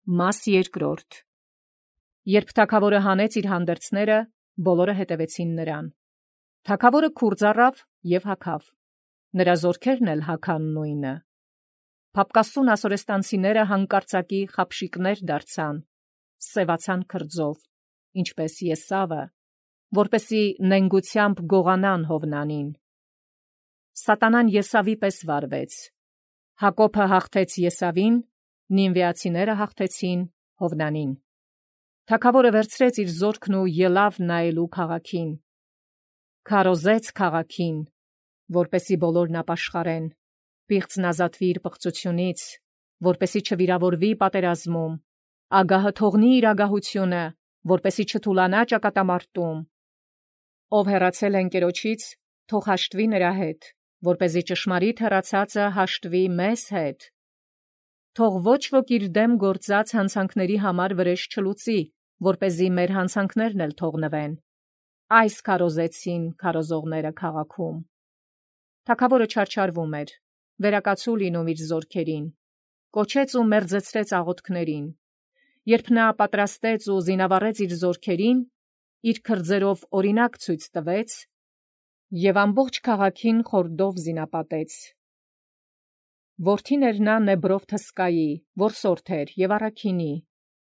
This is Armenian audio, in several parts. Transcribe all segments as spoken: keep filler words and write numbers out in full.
Մաս երկրորդ. Երբ թագավորը հանեց իր հանդերձները, բոլորը հետևեցին նրան։ Թագավորը քուրձ առավ և հագավ, նրա զորքերն էլ հագան նույնը։ Փափկասուն ասորեստանցիները հանկարծակի խաբշիկներ դարձան, սևացան քրձով, ինչպես Եսավը, որպեսի նենգությամբ գողանան Հովնանին։ Սատանան Եսավի պես վարվեց։ Հակոբը հաղթեց Եսավին, նինվեացիները հաղթեցին Հովնանին։ Թագավորը վերցրեց իր զորքն ու ելավ նայելու քաղաքին։ Քարոզեց քաղաքին, որպեսի բոլորն ապաշխարեն, պիղծն ազատվի իր պղծությունից, որպեսի չվիրավորվի պատերազմում, ագահը թողնի իր ագահությունը, որպեսի չթուլանա ճակատամարտում։ Ով հեռացել է ընկերոջից, թող հաշտվի նրա հետ, որպեսզի ճշմարիտ հեռացածը հաշտվի մեզ հետ։ Թող ոչ ոք իր դեմ գործած հանցանքների համար վրեժ չլուծի, որպեսզի մեր հանցանքներն էլ թողնվեն։ Այս քարոզեցին քարոզողները քաղաքում։ Թագավորը չարչարվում էր, վերակացու լինում իր զորքերին, կոչեց ու մերձեցրեց աղոթքներին։ Երբ նա պատրաստեց ու զինավառեց իր զորքերին, իր քրձերով օրինակ ցույց տվեց և ամբողջ քաղաքին խորդով զինապատեց։ Որդին էր նա Նեբրով Թսկայի, որսորդ էր և առաքինի,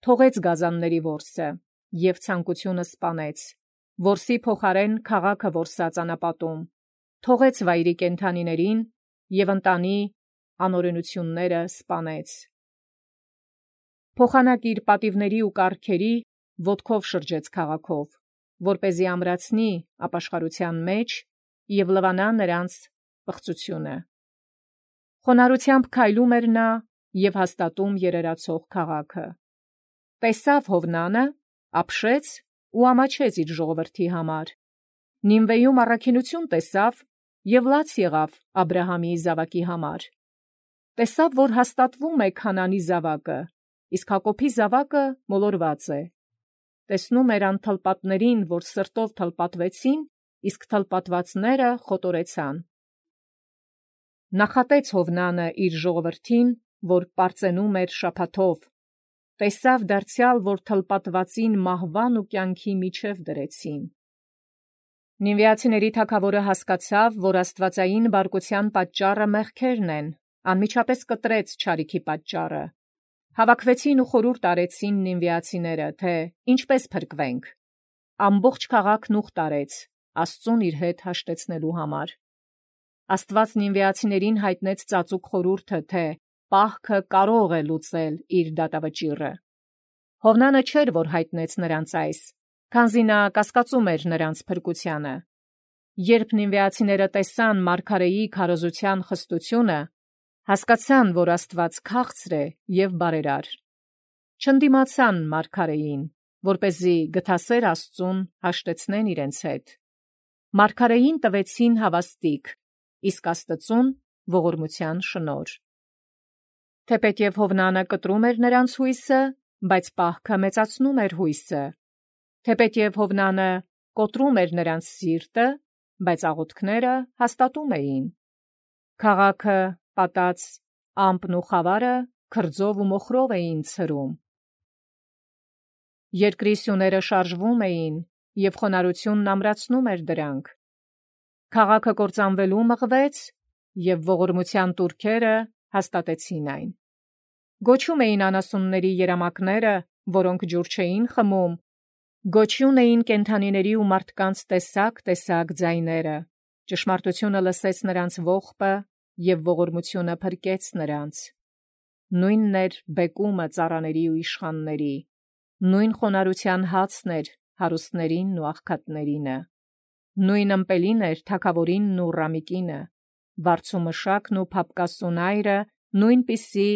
թողեց գազանների որսը և ցանկությունը սպանեց, որսի փոխարեն քաղաքը որսաց անապատում, թողեց վայրի կենդանիներին և ընտանի անօրենությունները սպանեց։ Փոխանակ իր պատիվների ու կառքերի ոտքով շրջեց քաղաքով, որպեսզի ամրացնի ապաշխարության մեջ և լվանա նրանց պղծությունը։ Խոնարհությամբ քայլում էր նա և հաստատում երերացող քաղաքը։ Տեսավ Հովնանը, ապշեց ու ամաչեց իր ժողովրդի համար։ Նինվեում առաքինություն տեսավ և լաց եղավ Աբրահամի զավակի համար։ Տեսավ, որ հաստատվում է Քանանի զավակը, իսկ Հակոբի զավակը մոլորված է։ Տեսնում էր անթլպատներին, որ սրտով թլպատվեցին, իսկ թլպատվածները խոտորեցան։ Նախատեց Հովնանը իր ժողովրդին, որ պարծենում էր շաբաթով, տեսավ դարձյալ, որ թլպատվածին մահվան ու կյանքի միջև դրեցին։ Նինվեացիների թագավորը հասկացավ, որ աստվածային բարկության պատճառը մեղքերն են, անմիջապես կտրեց չարիքի պատճառը։ Հավաքվեցին ու խորհուրդ արեցին նինվեացիները, թե ինչպես փրկվենք։ Ամբողջ քաղաքն ուխտ արեց, Աստծուն իր հետ հաշտեցնելու համար։ Աստված նինվեացիներին հայտնեց ծածուկ խորհուրդը, թե պահքը կարող է լուծել իր դատավճիռը։ Հովնանը չէր, որ հայտնեց նրանց այս, քանզի նա կասկածում էր նրանց փրկությանը։ Երբ նինվեացիները տեսան մարգարեի քարոզության խստությունը, հասկացան, որ Աստված քաղցր է և բարերար։ Չընդդիմացան մարգարեին, որպեսզի գթասեր Աստծուն հաշտեցնեն իրենց հետ։ Մարգարեին տվեցին հավաստիք, իսկ Աստծուն ողորմության շնորհ։ Թեպետև Հովնանը կտրում էր նրանց հույսը, բայց պահքը մեծացնում էր հույսը։ Թեպետև Հովնանը կոտրում էր նրանց սիրտը, բայց աղոթքները հաստատում էին։ Քաղաքը պատած ամպն ու խավարը քրձով ու մոխրով էին ցրում։ Երկրի սյուները շարժվում էին, և խոնարհությունն ամրացնում էր դրանք։ Քաղաքը կործանվելու մղվեց, և ողորմության տուրքերը հաստատեցին այն։ Գոչում էին անասունների երամակները, որոնք ջուր չէին խմում, գոչյուն էին կենդանիների ու մարդկանց տեսակ-տեսակ ձայները։ Ճշմարտությունը լսեց նրանց ողբը, և ողորմությունը փրկեց նրանց։ Նույնն էր բեկումը ծառաների ու իշխանների, նույն խոնարհության հացն էր հարուստներինն ու աղքատներինը, նույն ըմպելին էր թագավորինն ու ռամիկինը, վարձումշակն ու փափկասուն այրը նույնպիսի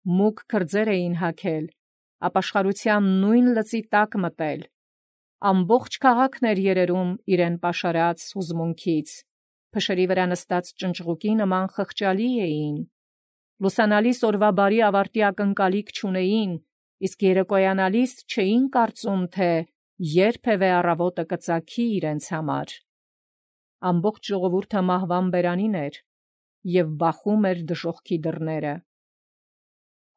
մուգ քրձեր էին հագել, ապաշխարության նույն լծի տակ մտել։ Ամբողջ քաղաքն էր երերում իրեն պաշարած հուզմունքից, փշերի վրա նստած ճնճղուկի նման խղճալի էին։ Լուսանալիս օրվա բարի ավարտի ակնկալիք չունեին, իսկ երեկոյանալիս չէին կարծում, թե երբևէ առավոտը կծագի իրենց համար։ Ամբողջ ժողովուրդը մահվան բերանին էր և բախում էր դժոխքի դռները։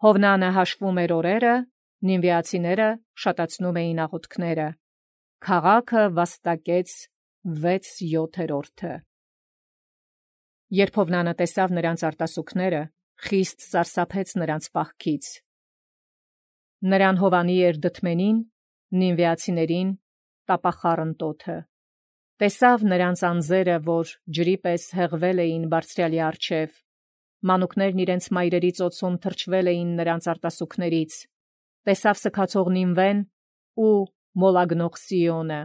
Հովնանը հաշվում էր օրերը Նինվեացիները շատացնում էին աղոթքները։ Քաղաքը վաստակեց վեց-յոթերորդը։ Երբ Հովնանը տեսավ նրանց արտասուքները, խիստ սարսափեց նրանց պահքից։ Նրան հովանի էր դդմենին, նինվեացիներին տապախառն տոթը։ Տեսավ նրանց անձերը, որ ջրի պես հեղվել էին բարձրյալի առջև, մանուկներն իրենց մայրերի ծոցում թրջվել էին նրանց արտասուքներից, տեսավ սքացող Նինվեն ու մոլագնող Սիոնը,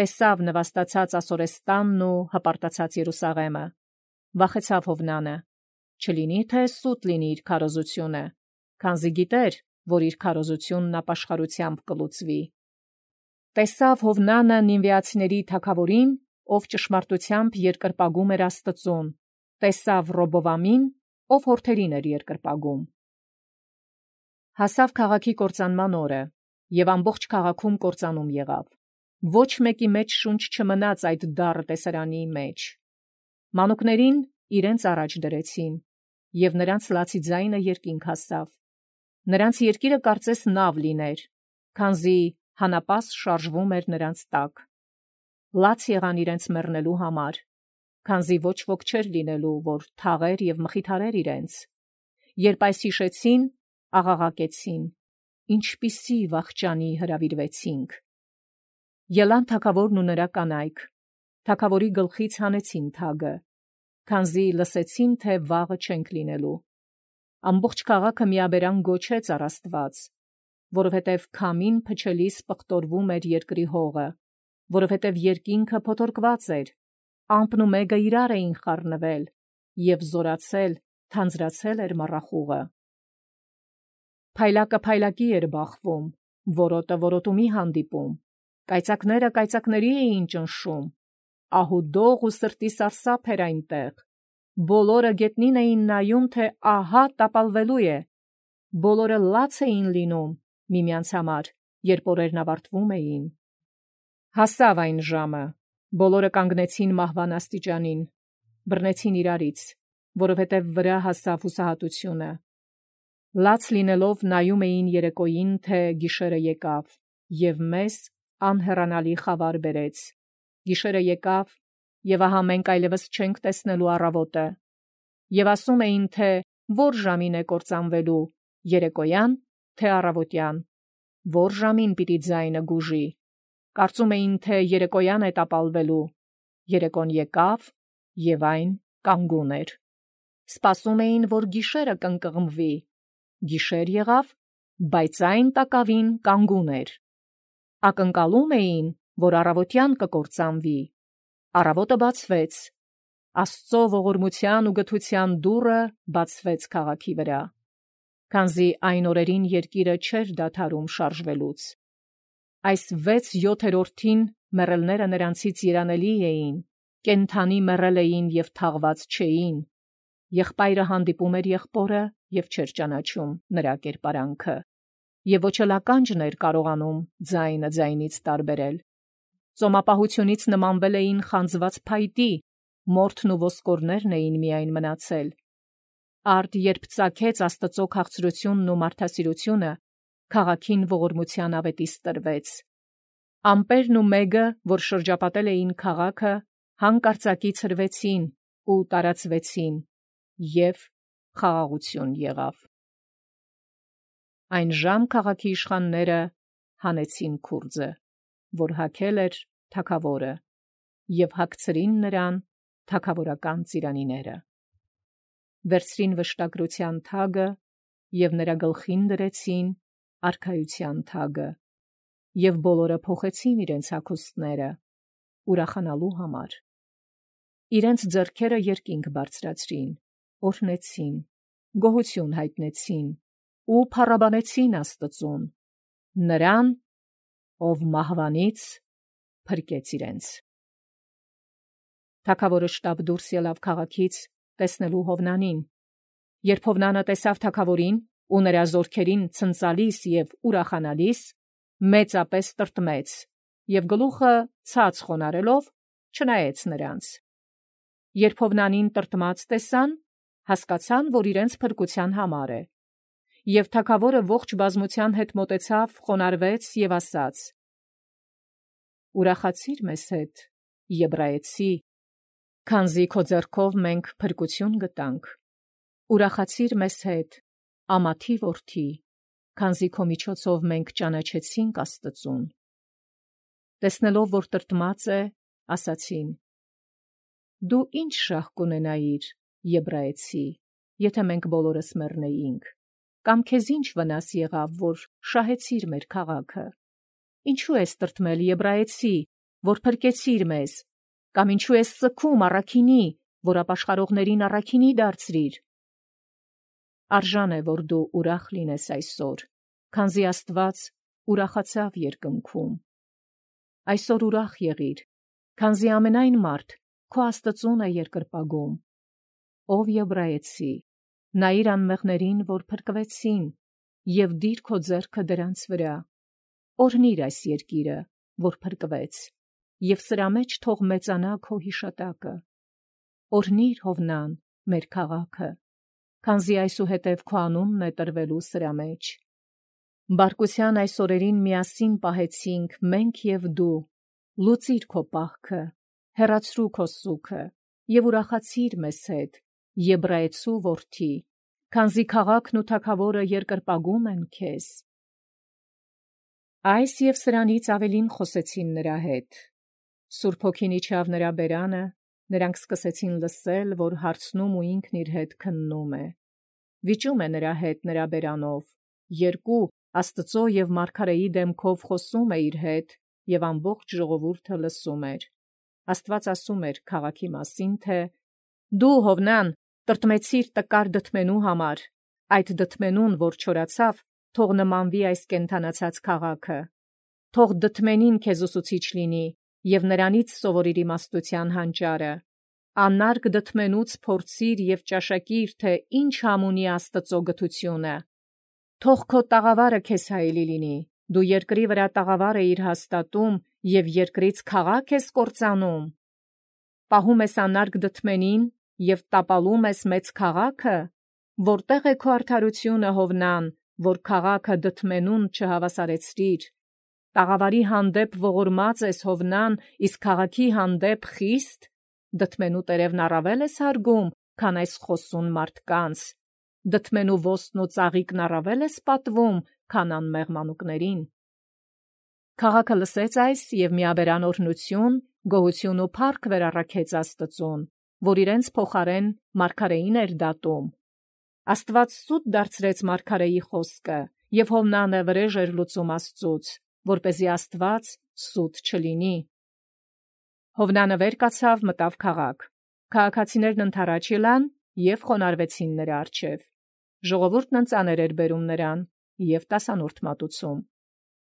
տեսավ նվաստացած Ասորեստանն ու հպարտացած Երուսաղեմը, վախեցավ Հովնանը, չլինի թե սուտ լինի իր քարոզությունը, քանզի գիտեր, որ իր քարոզությունն ապաշխարությամբ կլուծվի։ Տեսավ Հովնանը նինվեացիների թագավորին, ով ճշմարտությամբ երկրպագում էր Աստծուն, տեսավ Ռոբովամին, ով հորթերին էր երկրպագում։ Հասավ քաղաքի կործանման օրը, եւ ամբողջ քաղաքում կործանում եղավ։ Ոչ մեկի մեջ շունչ չմնաց այդ դառը տեսարանի մեջ։ Մանուկներին իրենց առաջ դրեցին, եւ նրանց լացի ձայնը երկինք հասավ։ Նրանց երկիրը կարծես նավ լիներ, քանզի հանապաս շարժվում էր նրանց տակ։ Լաց եղան իրենց մեռնելու համար, քանզի ոչ ոք չէր լինելու, որ թաղեր եւ մխիթարեր իրենց։ Երբ այս հիշեցին, աղաղակեցին. ինչպիսի վախճանի հրավիրվեցինք։ Ելան թագավորն ու նրա կանայք, թագավորի գլխից հանեցին թագը, քանզի լսեցին, թե վաղը չենք լինելու։ Ամբողջ քաղաքը միաբերան գոչեց առ Աստված, որովհետև քամին փչելիս պղտորվում էր երկրի հողը, որովհետև երկինքը փոթորկված էր, ամպն ու մեգը իրար էին խառնվել, եւ զորացել, թանձրացել էր մառախուղը։ Փայլակը փայլակի էր բախվում, որոտը որոտումի հանդիպում, կայծակները կայծակների էին ճնշում, ահուդող ու սրտի սարսափ էր այնտեղ։ Բոլորը գետնին էին նայում, թե ահա տապալվելու է, բոլորը լաց էին լինում միմյանց համար, երբ օրերն ավարտվում էին։ Հասավ այն ժամը, բոլորը կանգնեցին մահվան աստիճանին, բռնեցին իրարից, որովհետև վրա հասավ հուսահատությունը։ Լաց լինելով նայում էին երեկոյին, թե գիշերը եկավ, եւ մեզ անհեռանալի խավար բերեց։ Գիշերը եկավ, եւ ահա մենք այլևս չենք տեսնելու առավոտը։ Եվ ասում էին, թե որ ժամին է կործանվելու, երեկոյան, թե առավոտյան, որ ժամին պիտի ձայնը գուժի։ Կարծում էին, թե երեկոյան է տապալվելու, երեկոն եկավ, եւ այն կանգուն էր։ Սպասում էին, որ գիշերը կընկղմվի, գիշեր եղավ, բայց այն տակավին կանգուն էր։ Ակնկալում էին, որ առավոտյան կկործանվի, առավոտը բացվեց, Աստծո ողորմության ու գթության դուռը բացվեց քաղաքի վրա, քանզի այն օրերին երկիրը չէր դադարում շարժվելուց։ Այս վեց-յոթերորդին մեռելները նրանցից երանելի էին, կենդանի մեռել էին եւ թաղված չէին։ Եղբայրը հանդիպում էր եղբորը եւ չէր ճանաչում նրա կերպարանքը, եւ ոչ էլ ականջն էր կարողանում ձայնը ձայնից տարբերել։ Ծոմապահությունից նմանվել էին խանձված փայտի, մորթն ու ոսկորներն էին միայն մնացել։ Արդ երբ ծագեց Աստծո քաղցրությունն ու մարդասիրությունը, քաղաքին ողորմության ավետիս տրվեց։ Ամպերն ու մեգը, որ շրջապատել էին քաղաքը, հանկարծակի ցրվեցին ու տարածվեցին, եւ խաղաղություն եղավ։ Այն ժամ քաղաքի իշխանները հանեցին քուրձը, որ հագել էր թագավորը, եւ հագցրին նրան թագավորական ծիրանիները։ Վերցրին վշտակրության թագը եւ նրա գլխին դրեցին արքայության թագը, եւ բոլորը փոխեցին իրենց հագուստները ուրախանալու համար։ Իրենց ձեռքերը երկինք բարձրացրին, օրհնեցին, գոհություն հայտնեցին ու փառաբանեցին Աստծուն, նրան, ով մահվանից փրկեց իրենց։ Թագավորը շտապ դուրս ելավ քաղաքից տեսնելու Հովնանին։ Երբ Հովնանը տեսավ թագավորին ու նրա զորքերին ցնծալիս եւ ուրախանալիս, մեծապես տրտմեց եւ գլուխը ցած խոնարելով չնայեց նրանց։ Երբ Հովնանին տրտմած տեսան, հասկացան, որ իրենց փրկության համար է, Եւ թագավորը ողջ բազմության հետ մոտեցավ, խոնարհվեց եւ ասաց. «Ուրախացիր մեզ հետ, Եբրայեցի, քանզի քո ձեռքով մենք փրկություն գտանք. ուրախացիր մեզ հետ, Ամաթի որդի, քանզի քո միջոցով մենք ճանաչեցինք Աստծուն»։ Տեսնելով, որ տրտմած է, ասացին. «Դու ի՞նչ շահ կունենայիր, Եբրայեցի, եթե մենք բոլորս մեռնեինք, կամ քեզ ի՞նչ վնաս եղավ, որ շահեցիր մեր քաղաքը։ Ինչու ես տրտմել, Եբրայեցի, որ փրկեցիր մեզ, կամ ինչու ես ծքում առաքինի, որ ապաշխարողներին առաքինի դարձրիր։ Արժան է, որ դու ուրախ լինես այսօր, քանզի Աստված ուրախացավ երկնքում։ Այսօր ուրախ եղիր, քանզի ամենայն մարդ քո Աստծուն է երկրպագում։ Ով Եբրայեցի, նայիր անմեղներին, որ փրկվեցին, եւ դիր քո ձեռքը դրանց վրա։ Օրհնիր այս երկիրը, որ փրկվեց, եւ սրա մեջ թող մեծանա քո հիշատակը։ Օրհնիր Հովնան, մեր քաղաքը, քանզի այսուհետև քո անունն է տրվելու սրա մեջ։ Բարկության այս օրերին միասին պահեցինք մենք եւ դու, լուծիր քո պահքը, հեռացրու քո սուգը եւ ուրախացիր մեզ հետ, Եբրայեցու որդի, քանզի քաղաքն ու թագավորը երկրպագում են քեզ։ Այս եւ սրանից ավելին խոսեցին նրա հետ։ Սուրբ Հոգին իջավ նրա բերանը, նրանք սկսեցին լսել, որ հարցնում ու ինքն իր հետ քննում է։ Վիճում է նրա հետ նրա բերանով, երկու Աստծո եւ մարգարեի դեմքով խոսում է իր հետ, եւ ամբողջ ժողովուրդը լսում էր։ Աստված ասում էր քաղաքի մասին, թե «Դու, Հովնան, տրտմեցիր տկար դդմենու համար, այդ դդմենուն, որ չորացավ, թող նմանվի այս կենդանացած քաղաքը։ Թող դդմենին քեզ ուսուցիչ լինի, եւ նրանից սովորիր իմաստության հանճարը։ Անարգ դդմենուց փորձիր եւ ճաշակիր, թե ինչ համ ունի Աստծո գթությունը։ Թող քո տաղավարը քեզ հայելի լինի, դու երկրի վրա տաղավար էիր հաստատում եւ երկրից քաղաք ես կործանում։ Պահում ես անարգ դդմենին եւ տապալում ես մեծ քաղաքը, որտեղ է քո արդարությունը, Հովնան, որ քաղաքը դդմենուն չհավասարեցրիր։ Տաղավարի հանդեպ ողորմած ես, Հովնան, իսկ քաղաքի հանդեպ խիստ, դդմենու տերևն առավել ես հարգում, քան այս խոսուն մարդկանց։ Դդմենու ոստնու ծաղիկն առավել ես պատվում, քան անմեղ մանուկներին։ Քաղաքը լսեց այս եւ միաբերան օրհնություն, գոհություն ու փառք վերառաքեց Աստծուն, որ իրենց փոխարեն մարգարեին էր դատում։ Աստված սուտ դարձրեց մարգարեի խոսքը, եւ Հովնանը վրեժ էր լուծում Աստծուց, որպեսզի Աստված սուտ չլինի։ Հովնանը վեր կացավ, մտավ քաղաք։ Քաղաքացիներն ընդառաջ ելան եւ խոնարհվեցին նրա առջեւ։ Ժողովուրդն ընծաներ էր բերում նրան եւ տասանորդ մատուցում։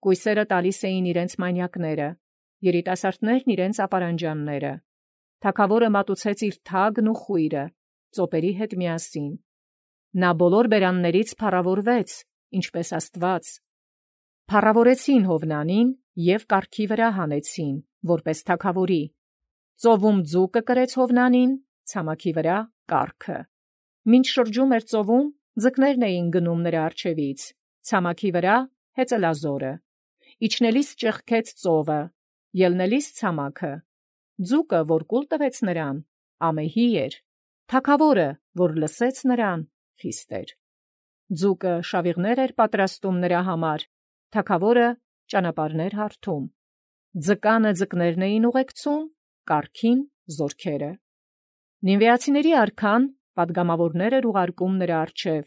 Կույսերը տալիս էին իրենց մանյակները, երիտասարդներն իրենց ապարանջանները։ Թագավորը մատուցեց իր թագն ու խույրը, ծոպերի հետ միասին։ Նա բոլոր բերաններից փառավորվեց, ինչպես Աստված։ Փառավորեցին Հովնանին եւ կառքի վրա հանեցին, որպես թագավորի։ Ծովում ձուկը կրեց Հովնանին, ցամաքի վրա կառքը։ Մինչ շրջում էր ծովում, ձկներն էին գնում նրա առջևից, ցամաքի վրա հեծելազորը։ Իջնելիս ճեղքեց ծովը, ելնելիս ցամաքը։ Ձուկը, որ կուլ տվեց նրան, ամեհի էր, թագավորը, որ լսեց նրան, խիստ էր։ Ձուկը շավիղներ էր պատրաստում նրա համար, թագավորը ճանապարհներ հարթում։ Ձկանը ձկներն էին ուղեկցում, կառքին զորքերը։ Նինվեացիների արքան պատգամավորներ էր ուղարկում նրա առջև,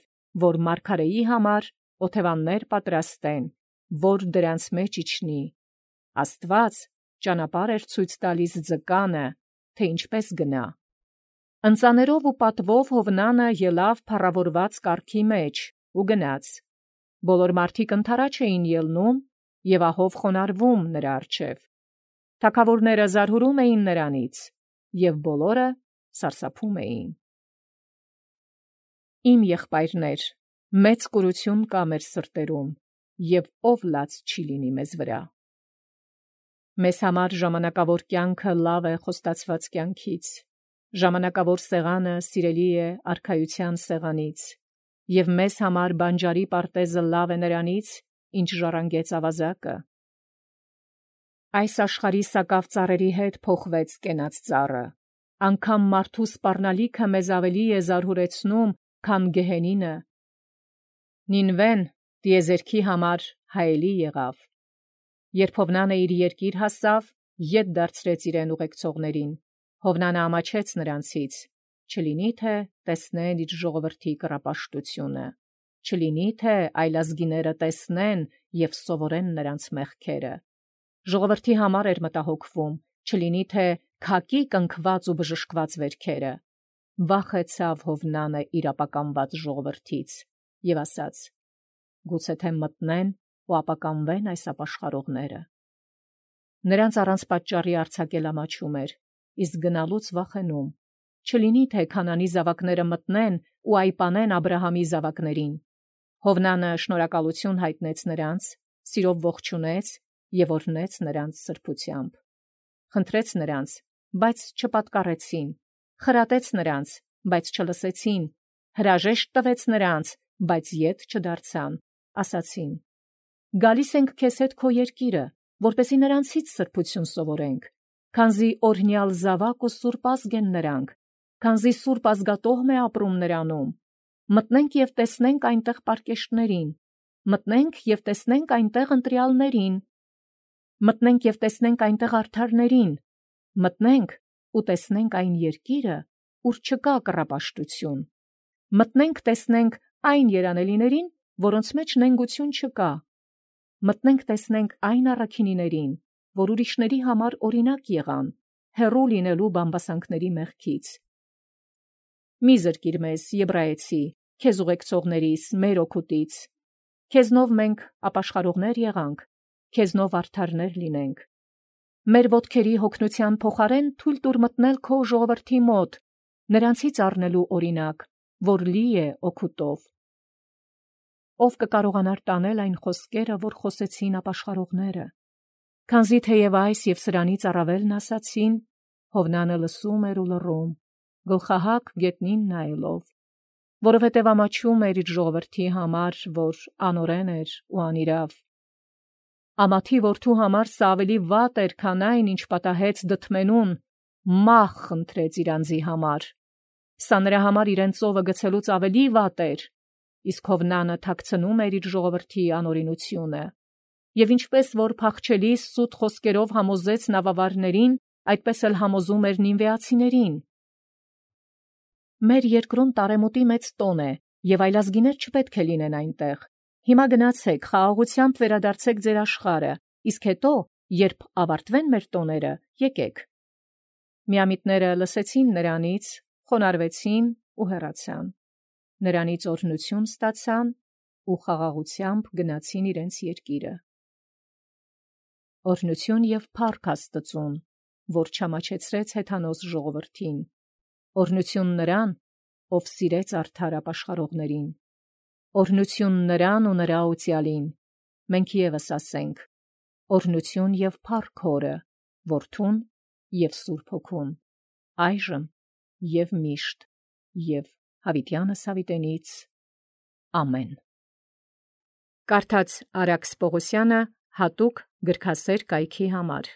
որ մարգարեի համար օթևաններ պատրաստեն, որ դրանց մեջ իջնի։ Աստված ճանապարհ էր ցույց տալիս ձկանը, թե ինչպես գնա։ Ընծաներով ու պատվով Հովնանը ելավ փառավորված կառքի մեջ ու գնաց։ Բոլոր մարդիկ ընդառաջ էին ելնում եւ ահով խոնարհվում նրա առջև։ Թագավորները զարհուրում էին նրանից եւ բոլորը սարսափում էին։ Իմ եղբայրներ, մեծ կուրություն կա մեր սրտերում, եւ ով լաց չի լինի մեզ վրա։ Մեզ համար ժամանակավոր կյանքը լավ է խոստացված կյանքից, ժամանակավոր սեղանը սիրելի է արքայության սեղանից, և մեզ համար բանջարի պարտեզը լավ է նրանից, ինչ ժառանգեց ավազակը։ Այս աշխարհի սակավ ծառերի հետ փոխվեց կենաց ծառը, անգամ մարդու սպառնալիքը մեզ ավելի է զարհուրեցնում, քան գեհենինը։ Նինվեն տիեզերքի համար հայելի եղավ։ Երբ Հովնանը իր երկիր հասավ, ետ դարձրեց իրեն ուղեկցողներին, Հովնանը ամաչեց նրանցից, չլինի թե տեսնեն իր ժողովրդի կռապաշտությունը, չլինի թե այլազգիները տեսնեն և սովորեն նրանց մեղքերը։ Ժողովրդի համար էր մտահոգվում, չլինի թե քակի կնքված ու բժշկված վերքերը։ Վախեցավ Հովնանը իր ապականված ժողովրդից և ասաց. գուցե թե մտնեն ու ապականվեն այս ապաշխարողները։ Նրանց առանց պատճառի արձակել ամաչում էր, իսկ գնալուց վախենում, չլինի թե Քանանի զավակները մտնեն ու այպանեն Աբրահամի զավակներին։ Հովնանը շնորհակալություն հայտնեց նրանց, սիրով ողջունեց և օրհնեց նրանց սրբությամբ։ Խնդրեց նրանց, բայց չպատկառեցին, խրատեց նրանց, բայց չլսեցին, հրաժեշտ տվեց նրանց, բայց ետ չդարձան, ասացին. «Գալիս ենք քեզ հետ քո երկիրը, որպեսզի նրանցից սրբություն սովորենք, քանզի օրհնյալ զավակ ու սուրբ ազգ են նրանք, քանզի սուրբ ազգատոհմ է ապրում նրանում։ Մտնենք և տեսնենք այնտեղ պարկեշտներին, մտնենք և տեսնենք այնտեղ ընտրյալներին, մտնենք և տեսնենք այնտեղ արդարներին, մտնենք ու տեսնենք այն երկիրը, ուր չկա կռապաշտություն, մտնենք տեսնենք այն երանելիներին, որոնց մեջ նենգություն չկա, մտնենք տեսնենք այն առաքինիներին, որ ուրիշների համար օրինակ եղան, հեռու լինելու բամբասանքների մեղքից։ Մի զրկիր մեզ, եբրայեցի, քեզ ուղեկցողներիս, մեր օգուտից, քեզնով մենք ապաշխարողներ եղանք, քեզնով արդարներ լինենք։ Մեր ոտքերի հոգնության փոխարեն թույլ տուր մտնել քո ժողովրդի մոտ, նրանցից առնելու օրինակ, որ լի է օգուտով։ Ով կկարողանար տանել այն խոսքերը, որ խոսեցին ապաշխարողները, քանզի թեև այս և սրանից առավելն ասացին, Հովնանը լսում էր ու լռում, գլխահակ գետնին նայելով, որովհետև ամաչում էր իր ժողովրդի համար, որ անօրեն էր ու անիրավ։ Ամաթի որդու համար սա ավելի վատ էր, քան այն, ինչ պատահեց դդմենուն, մահ խնդրեց իր անձի համար։ Սա նրա համար իրեն ծովը գցելուց ավելի վատ էր, իսկ Հովնանը թաքցնում էր իր ժողովրդի անօրինությունը։ Եվ ինչպես որ փախչելիս սուտ խոսքերով համոզեց նավավարներին, այդպես էլ համոզում էր նինվեացիներին։ Մեր երկրում տարեմուտի մեծ տոն է, և այլազգիներ չպետք է լինեն այնտեղ։ Հիմա գնացեք, խաղաղությամբ վերադարձեք ձեր աշխարհը, իսկ հետո, երբ ավարտվեն մեր տոները, եկեք։ Միամիտները լսեցին նրանից, խոնարհվեցին ու հեռացան։ Նրանից օրհնություն ստացան ու խաղաղությամբ գնացին իրենց երկիրը։ Օրհնություն և փառք Աստծուն, որ չամաչեցրեց հեթանոս ժողովրդին, օրհնություն նրան, ով սիրեց արդար ապաշխարողներին, օրհնություն նրան ու նրա օծյալին, մենք ևս ասենք. օրհնություն և փառք Հորը, Որդուն և Սուրբ Հոգուն, այժմ և միշտ և հավիտյանս հավիտենից ամեն։ Կարդաց Արաքս Պողոսյանը հատուկ գրքասեր կայքի համար։